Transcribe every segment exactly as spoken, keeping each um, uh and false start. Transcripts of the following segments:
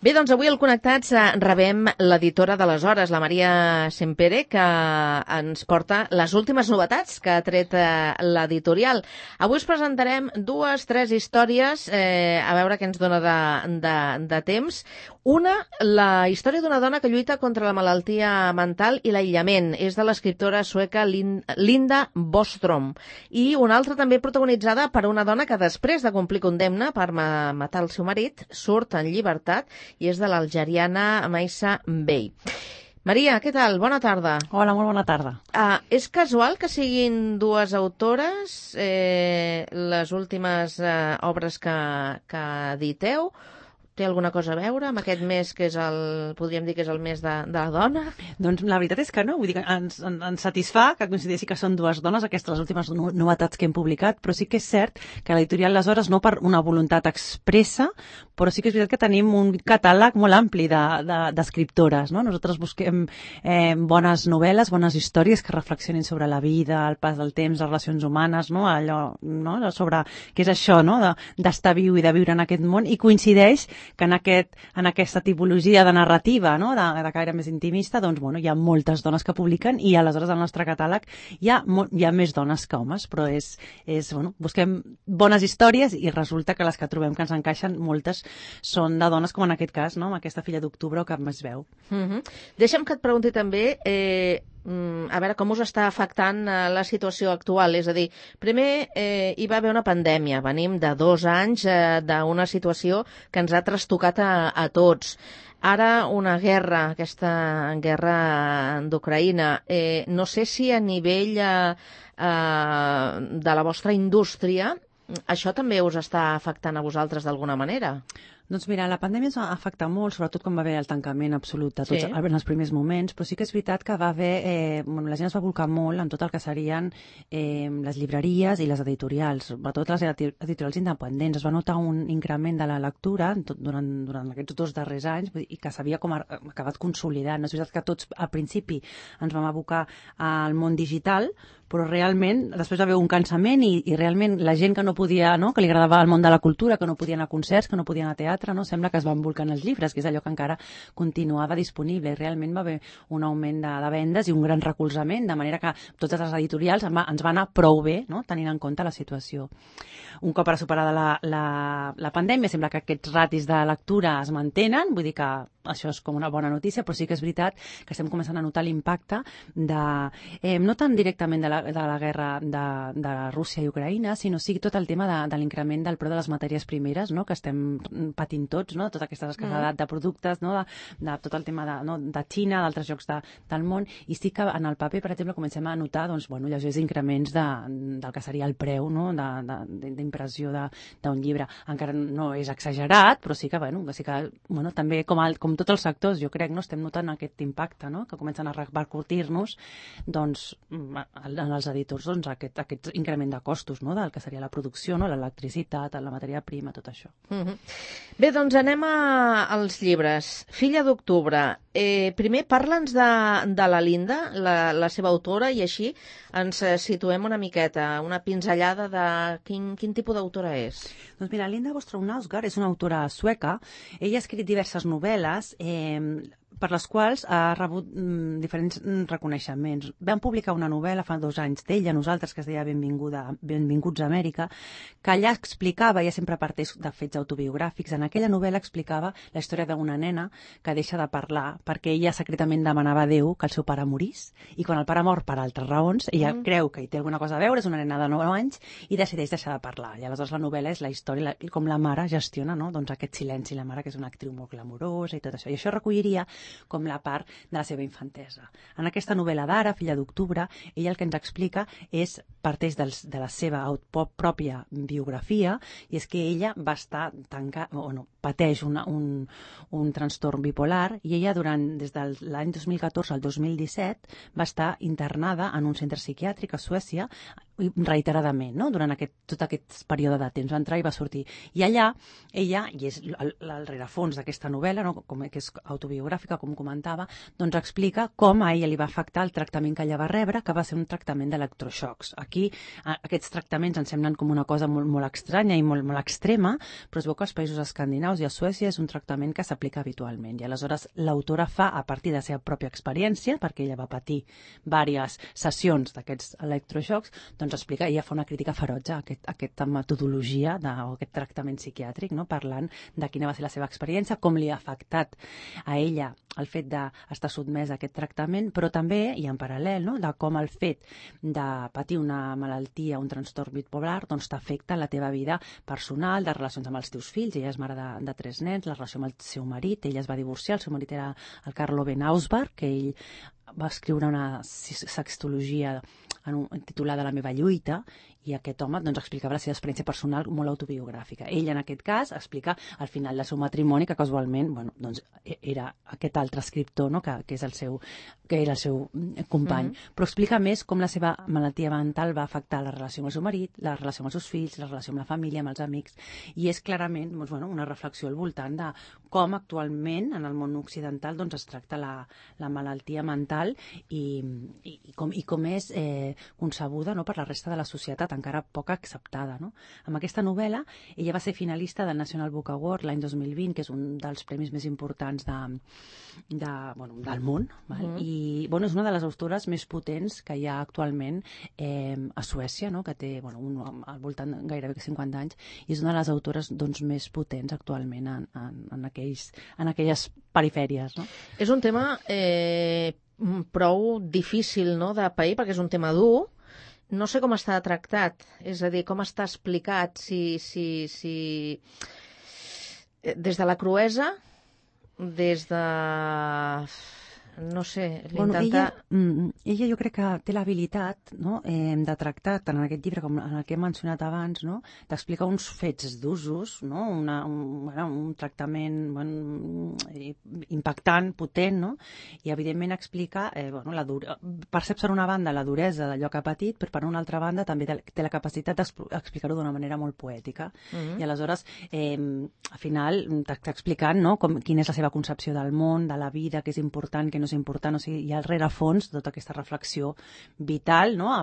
Bé, doncs avui al Connectats rebem l'editora de les Hores, la Maria Sempere, que ens porta les últimes novetats que ha tret l'editorial. Avui us presentarem dues, tres històries, eh, a veure què ens dona de, de, de temps. Una, la història d'una dona que lluita contra la malaltia mental i l'aïllament. És de l'escriptora sueca Linda Bostrom. I una altra també protagonitzada per una dona que després de complir condemna per matar el seu marit surt en llibertat i és de l'algeriana Maissa Bey. Maria, què tal? Bona tarda. Hola, molt bona tarda. Uh, és casual que siguin dues autores eh, les últimes uh, obres que, que editeu? Té alguna cosa a veure amb aquest mes que és el, podríem dir que és el mes de, de la dona? Doncs la veritat és que no, vull dir que ens, ens satisfà que coincideixi que són dues dones, aquestes les últimes novetats que hem publicat, però sí que és cert que l'editorial Les Hores, no per una voluntat expressa, però sí que és veritat que tenim un catàleg molt ampli d'escriptores, de, de, no? Nosaltres busquem eh, bones novel·les, bones històries que reflexionin sobre la vida, el pas del temps, les relacions humanes, no? Allò, no? Sobre què és això, no? D'estar viu i de viure en aquest món, i coincideix que en, aquest, en aquesta tipologia de narrativa, no? de, de caire més intimista, doncs, bueno, hi ha moltes dones que publiquen i aleshores al nostre catàleg hi ha, hi ha més dones que homes, però és, és, bueno, busquem bones històries i resulta que les que trobem que ens encaixen, moltes són de dones, com en aquest cas, no? Amb aquesta Filla d'Octubre o Cap més veu. Mm-hmm. Deixa'm que et pregunti també... Eh... a veure, com us està afectant la situació actual? És a dir, primer eh, hi va haver una pandèmia, venim de dos anys eh, d'una situació que ens ha trastocat a, a tots. Ara una guerra, aquesta guerra d'Ucraïna. Eh, no sé si a nivell eh, eh, de la vostra indústria això també us està afectant a vosaltres d'alguna manera? Doncs mira, la pandèmia ens va afectar molt, sobretot quan va haver el tancament absolut de tots, sí, en els primers moments, però sí que és veritat que va haver, eh, bueno, la gent es va volcar molt en tot el que serien eh, les llibreries i les editorials, sobretot les editorials independents. Es va notar un increment de la lectura tot, durant, durant aquests dos darrers anys i que s'havia com acabat consolidant. És veritat que tots al principi ens vam abocar al món digital, però realment després va haver un cansament i, i realment la gent que no podia, no? Que li agradava el món de la cultura, que no podia anar a concerts, que no podia anar a teatre, no? Sembla que es van volcant els llibres, que és allò que encara continuava disponible, i realment va haver un augment de, de vendes i un gran recolzament, de manera que totes les editorials ens va anar prou bé, no? Tenint en compte la situació. Un cop ara superada la, la, la pandèmia, sembla que aquests ratis de lectura es mantenen, vull dir que això és com una bona notícia, però sí que és veritat que estem començant a notar l'impacte de, eh, no tant directament de la, de la guerra de, de Rússia i Ucraïna, sinó sí tot el tema de, de l'increment del preu de les matèries primeres, no? Que estem patint tots, no? Tota aquesta escassedat de productes, no? de, de tot el tema de, no? de Xina, d'altres llocs de, del món, i sí que en el paper, per exemple, comencem a notar doncs, bueno, lleugers increments de, del que seria el preu, no? d'impressió d'un llibre. Encara no és exagerat, però sí que, bueno, sí que bueno, també com, el, com tots els sectors, jo crec, no? Estem notant aquest impacte, no? Que comencen a repercutir-nos doncs, en els editors doncs, aquest, aquest increment de costos, no? Del que seria la producció, no? L'electricitat, la matèria prima, tot això. Mm-hmm. Bé, doncs anem a, als llibres. Filla d'Octubre. Eh, primer, parla'ns de, de la Linda, la, la seva autora, i així ens situem una miqueta, una pinzellada de quin, quin tipus d'autora és. Doncs mira, Linda Bostrom-Nausgaard és una autora sueca. Ella ha escrit diverses novel·les eh, per les quals ha rebut mm, diferents reconeixements. Vam publicar una novel·la fa dos anys d'ella, nosaltres, que es deia Benvinguda, Benvinguts a Amèrica, que allà explicava, ella sempre parteix de fets autobiogràfics, en aquella novel·la explicava la història d'una nena que deixa de parlar perquè ella secretament demanava a Déu que el seu pare morís, i quan el pare mor per altres raons, ella mm. creu que hi té alguna cosa a veure, és una nena de nou anys, i decideix deixar de parlar. I aleshores la novel·la és la història, la, com la mare gestiona, no? Doncs aquest silenci, la mare que és una actriu molt glamourosa i tot això. I això recolliria com la part de la seva infantesa. En aquesta novel·la d'ara, Filla d'Octubre, ella el que ens explica és, parteix dels, de la seva pròpia biografia, i és que ella va estar tancada, o no, pateix una, un, un trastorn bipolar, i ella durant, des de l'any dos mil catorze al dos mil disset va estar internada en un centre psiquiàtric a Suècia reiteradament, no? Durant aquest, tot aquest període de temps. Va entrar i va sortir. I allà, ella, i és el, el rerefons d'aquesta novel·la, no? Com, que és autobiogràfica, com comentava, doncs explica com a ella li va afectar el tractament que ella va rebre, que va ser un tractament d'electroxocs. aquí aquests tractaments ens semblen com una cosa molt, molt estranya i molt, molt extrema, però es veu que als països escandinaus i a Suècia és un tractament que s'aplica habitualment. I aleshores l'autora fa, a partir de la seva pròpia experiència, perquè ella va patir diverses sessions d'aquests electroxocs, doncs explica, ella fa una crítica ferotge a, aquest, a aquesta metodologia de, o aquest tractament psiquiàtric, no? Parlant de quina va ser la seva experiència, com li ha afectat a ella el fet d'estar sotmès a aquest tractament, però també, i en paral·lel, no? De com el fet de patir una malaltia, un trastorn bipolar, doncs t'afecta la teva vida personal, de relacions amb els teus fills. Ella és mare de, de tres nens, la relació amb el seu marit, ella es va divorciar, el seu marit era el Carlo Ben Ausberg, que ell va escriure una sextologia en un, titulada La meva lluita, i aquest home doncs, explicava la seva experiència personal molt autobiogràfica. Ell, en aquest cas, explica al final del seu matrimoni que casualment bueno, doncs, era aquest altre escriptor, no? que, que, és el seu, que era el seu company. Mm-hmm. Però explica més com la seva malaltia mental va afectar la relació amb el seu marit, la relació amb els seus fills, la relació amb la família, amb els amics, i és clarament doncs, bueno, una reflexió al voltant de com actualment en el món occidental doncs, es tracta la, la malaltia mental i, i, i, com, i com és eh, concebuda no? per la resta de la societat, encara poc acceptada. No? Amb aquesta novel·la, ella va ser finalista del National Book Award l'any dos mil vint, que és un dels premis més importants de, de, bueno, del món. Val? Mm. I bueno, és una de les autores més potents que hi ha actualment eh, a Suècia, no? que té bueno, un, al voltant de gairebé cinquanta anys, i és una de les autores doncs, més potents actualment en, en, en, aquells, en aquelles perifèries. No? És un tema eh, prou difícil no? de pair, perquè és un tema dur. No sé com està tractat, és a dir, com està explicat, si, si, si... des de la cruesa, des de... no sé, bueno, l'intentar... Ella, ella jo crec que té l'habilitat no? eh, de tractar, tant en aquest llibre com en el que he mencionat abans, no? d'explicar uns fets d'usos, no? Una, un, bueno, un tractament bueno, impactant, potent, no? I evidentment explica, eh, bueno, la dure... percep per una banda la duresa d'allò que ha patit, però per una altra banda també té la capacitat d'explicar-ho d'una manera molt poètica. Uh-huh. I aleshores, eh, al final, t'està explicant no? com, quina és la seva concepció del món, de la vida, que és important, que no és important, o sigui, hi ha al rerefons tota aquesta reflexió vital, no?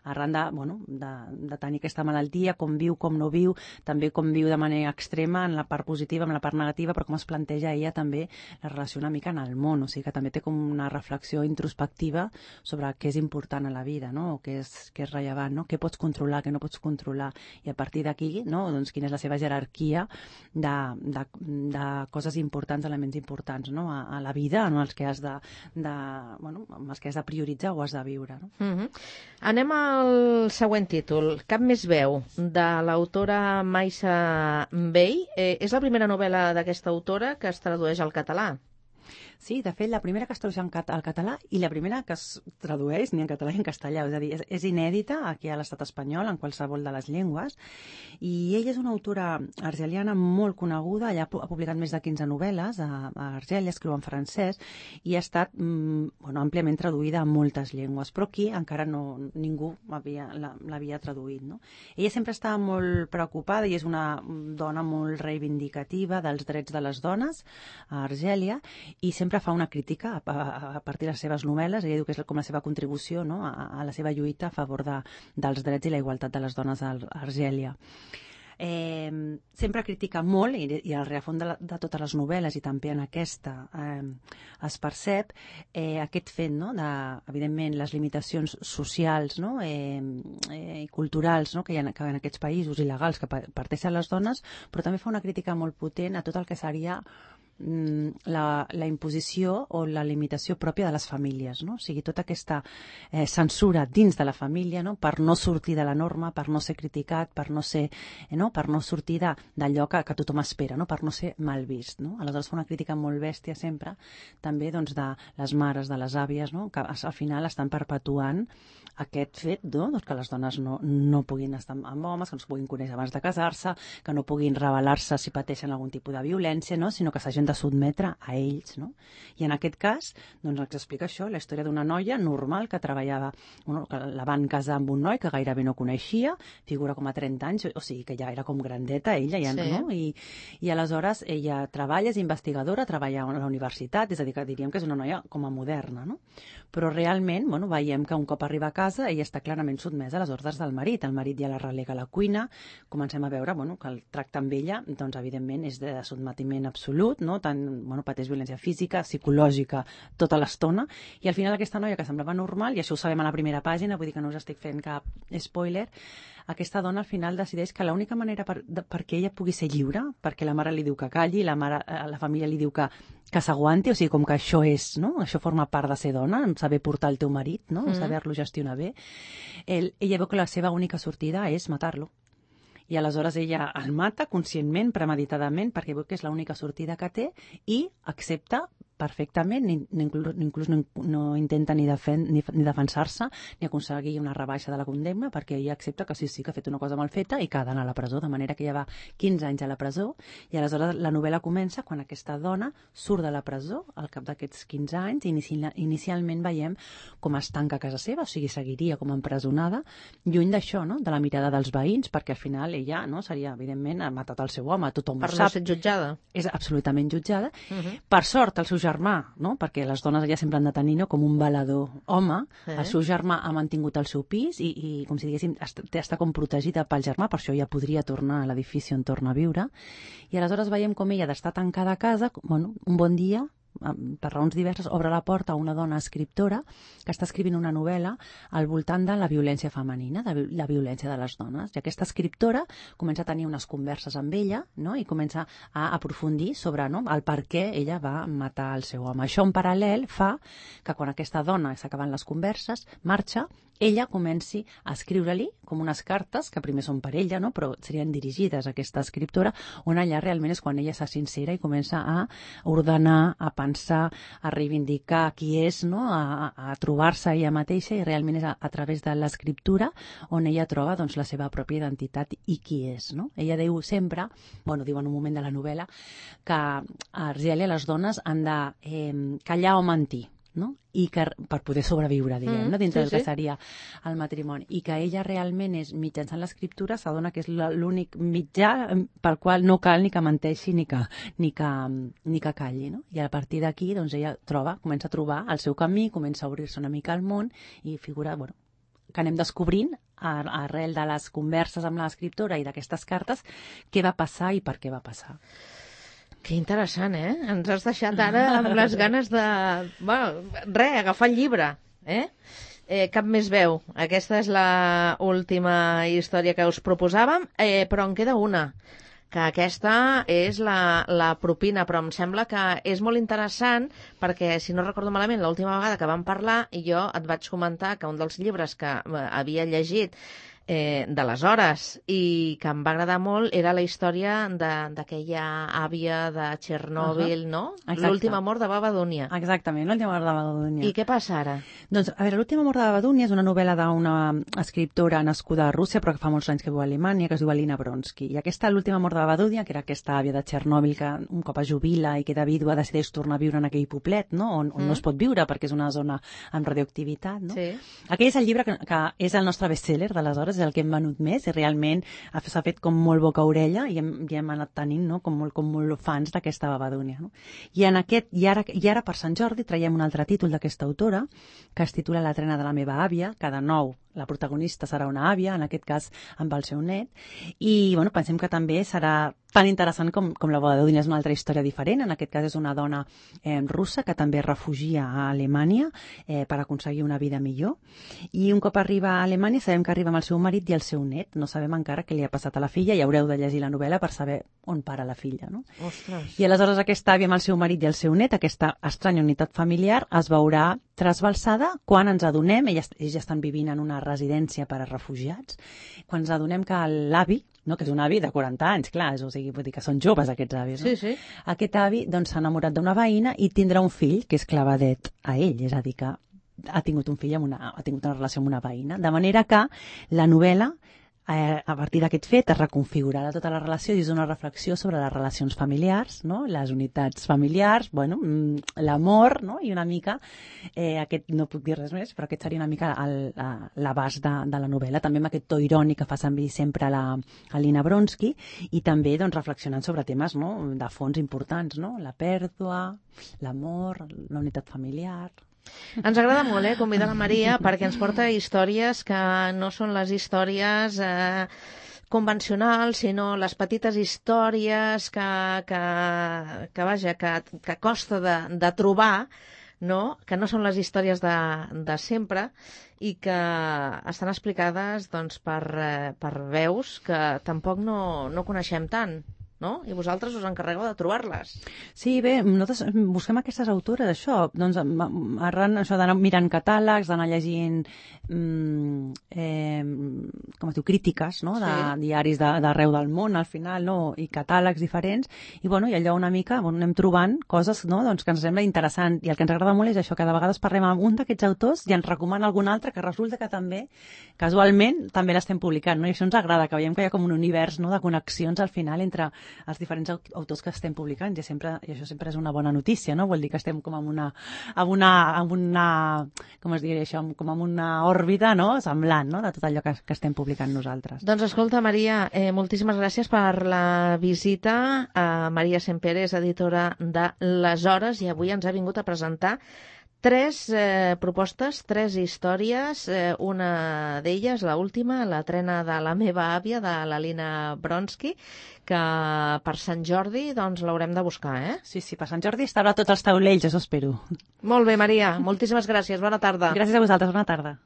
arran de, bueno, de, de tenir aquesta malaltia, com viu, com no viu, també com viu de manera extrema en la part positiva, en la part negativa, però com es planteja ella també la relació una mica en el món, o sigui que també té com una reflexió introspectiva sobre què és important a la vida, no? o què és, què és rellevant, no? què pots controlar, què no pots controlar, i a partir d'aquí, no? doncs quina és la seva jerarquia de, de, de coses importants, elements importants no? a, a la vida, no? els que has de de, bueno, amb els que has de prioritzar o has de viure. No? Uh-huh. Anem al següent títol, Cap més veu, de l'autora Maisa Bay. Eh, és la primera novel·la d'aquesta autora que es tradueix al català. Sí, de fet, la primera que es tradueix al català i la primera que es tradueix ni en català ni en castellà. És a dir, és, és inèdita aquí a l'estat espanyol, en qualsevol de les llengües. I ella és una autora argeliana molt coneguda. Ella ha publicat més de quinze novel·les a, a Argèlia, escriu en francès, i ha estat mm, bueno, àmpliament traduïda a moltes llengües. Però aquí encara no, ningú l'havia traduït. No? Ella sempre estava molt preocupada i és una dona molt reivindicativa dels drets de les dones a Argèlia, i sempre fa una crítica a, a, a partir de les seves novel·les. Ella diu que és com la seva contribució no? a, a la seva lluita a favor de, dels drets i la igualtat de les dones a Argèlia. Eh, sempre critica molt, i, i al rerefons de, de totes les novel·les i també en aquesta eh, es percep eh, aquest fet, no? de, evidentment, les limitacions socials no? eh, eh, i culturals no? que hi ha que en aquests països il·legals que parteixen les dones, però també fa una crítica molt potent a tot el que seria La, la imposició o la limitació pròpia de les famílies, no? O sigui, tota aquesta eh, censura dins de la família, no? Per no sortir de la norma, per no ser criticat, per no ser, eh, no? Per no sortir d'allò que, que tothom espera, no? Per no ser mal vist, no? Aleshores fa una crítica molt bèstia sempre, també doncs, de les mares, de les àvies, no? Que al final estan perpetuant aquest fet, no? Doncs que les dones no, no puguin estar amb homes, que no es puguin conèixer abans de casar-se, que no puguin rebel·lar-se si pateixen algun tipus de violència, no? Sinó que s'hagin de de sotmetre a ells, no? I en aquest cas, doncs ens explica això, la història d'una noia normal que treballava, bueno, que la van casar amb un noi que gairebé no coneixia, figura com a trenta anys, o sigui que ja era com grandeta ella, ja, sí. no? I, I aleshores ella treballa, és investigadora, treballa a la universitat, és a dir, que diríem que és una noia com a moderna, no? Però realment, bueno, veiem que un cop arriba a casa ella està clarament sotmesa a les ordres del marit. El marit ja la relega a la cuina, comencem a veure, bueno, que el tracte amb ella, doncs, evidentment, és de sotmetiment absolut, no? Tant, bueno, pateix violència física, psicològica, tota l'estona, i al final aquesta noia que semblava normal, i això ho sabem a la primera pàgina, vull dir que no us estic fent cap spoiler, aquesta dona al final decideix que l'única manera per, de, perquè ella pugui ser lliure, perquè la mare li diu que calli, la, mare, la família li diu que, que s'aguanti, o sigui, com que això és, no? Això forma part de ser dona, saber portar el teu marit, no? Mm. Saber-lo gestionar bé. El, ella veu que la seva única sortida és matar-lo. I aleshores ella el mata conscientment, premeditadament, perquè veu que és l'única sortida que té i accepta perfectament, ni, ni inclús, inclús no, no intenta ni, defen, ni, ni defensar-se ni aconseguir una rebaixa de la condemna, perquè ella accepta que sí, sí, que ha fet una cosa mal feta i que ha d'anar a la presó, de manera que ella va quinze anys a la presó, i aleshores la novel·la comença quan aquesta dona surt de la presó al cap d'aquests quinze anys, i inici, inicialment veiem com es tanca a casa seva, o sigui, seguiria com empresonada, lluny d'això, no? De la mirada dels veïns, perquè al final ella, no, seria, evidentment, ha matat el seu home, tothom per ho sap. Per no ser jutjada. És absolutament jutjada. Uh -huh. Per sort, el seu germà, no? Perquè les dones ja sempre han de tenir, no? Com un valedor home, eh? El seu germà ha mantingut el seu pis i, i com si diguéssim, està, està com protegida pel germà, per això ja podria tornar a l'edifici on torna a viure. I aleshores veiem com ella d'estar tancada a casa, bueno, un bon dia, per raons diverses, obre la porta a una dona escriptora que està escrivint una novel·la al voltant de la violència femenina, de la violència de les dones. I aquesta escriptora comença a tenir unes converses amb ella, no? I comença a aprofundir sobre, no? El per què ella va matar el seu home. Això en paral·lel fa que quan aquesta dona s'acaben les converses, marxa, ella comenci a escriure-li com unes cartes, que primer són per ella, no? Però serien dirigides a aquesta escriptora, on allà realment és quan ella s'ha sincera i comença a ordenar, a pensar, a reivindicar qui és, no? a, a trobar-se ella mateixa, i realment és a, a través de l'escriptura on ella troba, doncs, la seva pròpia identitat i qui és, no? Ella diu sempre, bueno, diu en un moment de la novel·la, que a Argèlia les dones han de eh, callar o mentir, no? I que per poder sobreviure, diguem, mm, no? Dintre sí, del que sí. seria el matrimoni, i que ella realment és, mitjançant l'escriptura, s'adona que és l'únic mitjà pel qual no cal ni que menteixi ni que, ni que, ni que calli, no? I a partir d'aquí, doncs, ella troba, comença a trobar el seu camí, comença a obrir-se una mica al món i figura, bueno, que anem descobrint arrel de les converses amb l'escriptora i d'aquestes cartes què va passar i per què va passar. Que interessant, eh? Ens has deixat ara amb les ganes de... Bueno, res, agafar el llibre, eh? eh? Cap més veu. Aquesta és la última història que us proposàvem, eh, però en queda una, que aquesta és la, la propina, però em sembla que és molt interessant perquè, si no recordo malament, l'última vegada que vam parlar, jo et vaig comentar que un dels llibres que havia llegit Eh, d'aleshores i que em va agradar molt era la història d'aquella àvia de Txernòbil, uh -huh. no? L'últim amor de Baba Dunja. Exactament, l'últim amor de Baba Dunja. I què passa ara? Doncs, a veure, l'últim amor de Baba Dunja és una novel·la d'una escriptora nascuda a Rússia, però que fa molts anys que viu a Alemanya, que es diu Alina Bronsky. I aquesta, l'últim amor de Baba Dunja, que era aquesta àvia de Txernòbil que un cop es jubila i queda vídua decideix tornar a viure en aquell poblet, no? On, on mm. no es pot viure perquè és una zona amb radioactivitat, no? Sí. Aquell és el llibre que, que és el nostre best-seller d'aleshores, és el que hem venut més, i realment s'ha fet com molt boca-orella i hem, ja hem anat tenint, no? com, molt, com molt fans d'aquesta Baba Dunja, no? I, en aquest, i, ara, I ara per Sant Jordi traiem un altre títol d'aquesta autora que es titula La trena de la meva àvia, que de nou la protagonista serà una àvia, en aquest cas amb el seu net, i bueno, pensem que també serà tan interessant com, com la Baba Dunja. És una altra història diferent, en aquest cas és una dona eh, russa que també es refugia a Alemanya eh, per aconseguir una vida millor, i un cop arriba a Alemanya sabem que arriba amb el seu marit i el seu net, no sabem encara què li ha passat a la filla, i haureu de llegir la novel·la per saber on para la filla, no? Ostres. I aleshores aquesta àvia amb el seu marit i el seu net, aquesta estranya unitat familiar, es veurà trasbalsada quan ens adonem, ells, ells ja estan vivint en una residència per a refugiats, quan ens adonem que l'avi, no, que és un avi de quaranta anys, clar, és, o sigui, vull dir que són joves aquests avis, no? Sí, sí. Aquest avi doncs, s'ha enamorat d'una veïna i tindrà un fill que és clavadet a ell, és a dir, que ha tingut un fill amb una, ha tingut una relació amb una veïna, de manera que la novel·la eh, a partir d'aquest fet es reconfigurarà tota la relació dins d'una reflexió sobre les relacions familiars, no? Les unitats familiars, bueno, l'amor, no? I una mica, eh, aquest no puc dir res més, però aquest seria una mica l'abast de, de la novel·la, també amb aquest to irònic que fa servir sempre la, la Lina Bronsky, i també doncs, reflexionant sobre temes, no? De fons importants, no? La pèrdua, l'amor, la unitat familiar. Ens agrada molt, eh, convidar la Maria perquè ens porta històries que no són les històries eh, convencionals, sinó les petites històries que, que, que vaja, que, que costa de, de trobar, no? Que no són les històries de, de sempre i que estan explicades doncs, per, eh, per veus que tampoc no, no coneixem tant. No? I vosaltres us encarregueu de trobar-les. Sí, bé, nosaltres busquem aquestes autores, això, doncs, arran això d'anar mirant catàlegs, d'anar llegint mm, eh, com es diu, crítiques, no? De sí. Diaris d'arreu de, del món, al final, no? I catàlegs diferents, i, bueno, i allò una mica bueno, anem trobant coses, no? Doncs, que ens sembla interessant, i el que ens agrada molt és això, que de vegades parlem amb un d'aquests autors i ens recomana algun altre que resulta que també, casualment, també l'estem publicant, no? I això ens agrada, que veiem que hi ha com un univers, no? De connexions al final entre els diferents autors que estem publicant, i, sempre, i això sempre és una bona notícia, no? Vol dir que estem com en una, en una, en una com es diria això, com en una òrbita, no? Semblant, no? De tot allò que, que estem publicant nosaltres. Doncs escolta, Maria, eh, moltíssimes gràcies per la visita. A Maria Sempere és editora de Les Hores i avui ens ha vingut a presentar tres eh, propostes, tres històries, eh, una d'elles, la última, la trena de la meva àvia, de la Lina Bronsky, que per Sant Jordi doncs l'haurem de buscar, eh? Sí, sí, per Sant Jordi estarà a tots els taulells, això espero. Molt bé, Maria, moltíssimes gràcies, bona tarda. Gràcies a vosaltres, bona tarda.